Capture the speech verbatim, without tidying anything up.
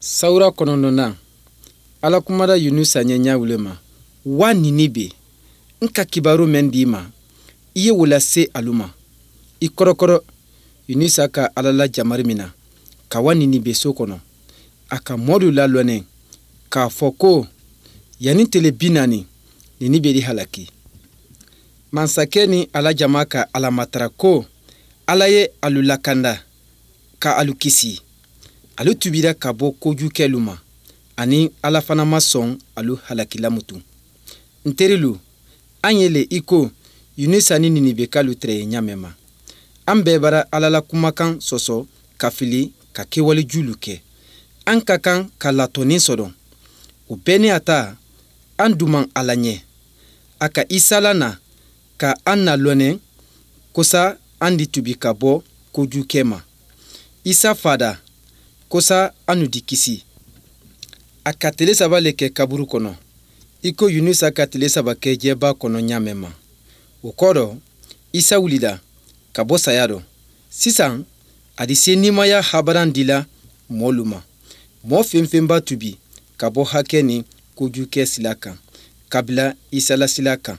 Sawura kɔnɔntɔnnan, Ala kumada Yunusa ɲɛ ɲa wo le ma: Wa Ninibe, n ka kibaru mɛn di i ma, i ye wo lase alu ma. I kɔrɔkɔrɔ Yunusa ka Ala la jamari mina ka wa Ninibe so kɔnɔ. A ka mɔɔlu lalɔnɛ k'a fɔ ko yanni tele bi naani, Ninibe di halaki. Mansakɛ ni a la jama ka Ala matara ko Ala ye alu lakanda ka alu kisi. Alu tubira ka bɔ kojukɛlu ma, ani Ala fana ma sɔn alu halakila mutu. N terilu, an ye le i ko Yunusa ni Ninibekalu tɛrɛ ye ɲa mɛn ma. An bɛɛ bara Ala la kumakan sɔsɔ ka fili ka kɛwale julu kɛ. An ka kan ka latɔnni sɔrɔ. O bɛɛ ni a ta, an duman Ala ɲɛ. A ka Isa lana ka an nalɔnɛ kosa an di tubi ka bɔ kojukɛ ma. Isa fada kosa anu di kisi. A ka tele saba le kɛ kaburu kɔnɔ, i ko Yunusa ka tele saba kɛ jɛba kɔnɔ ɲa mɛn ma. O kɔ dɔ, Isa wulila ka bɔ saya dɔ. Sisan, a di se nimaya habaran dila mɔɔlu ma. Mɔɔ fɛn fɛn b'a tubi ka bɔ hakɛ ni kojukɛ sila kan, ka bila Isa la sila kan.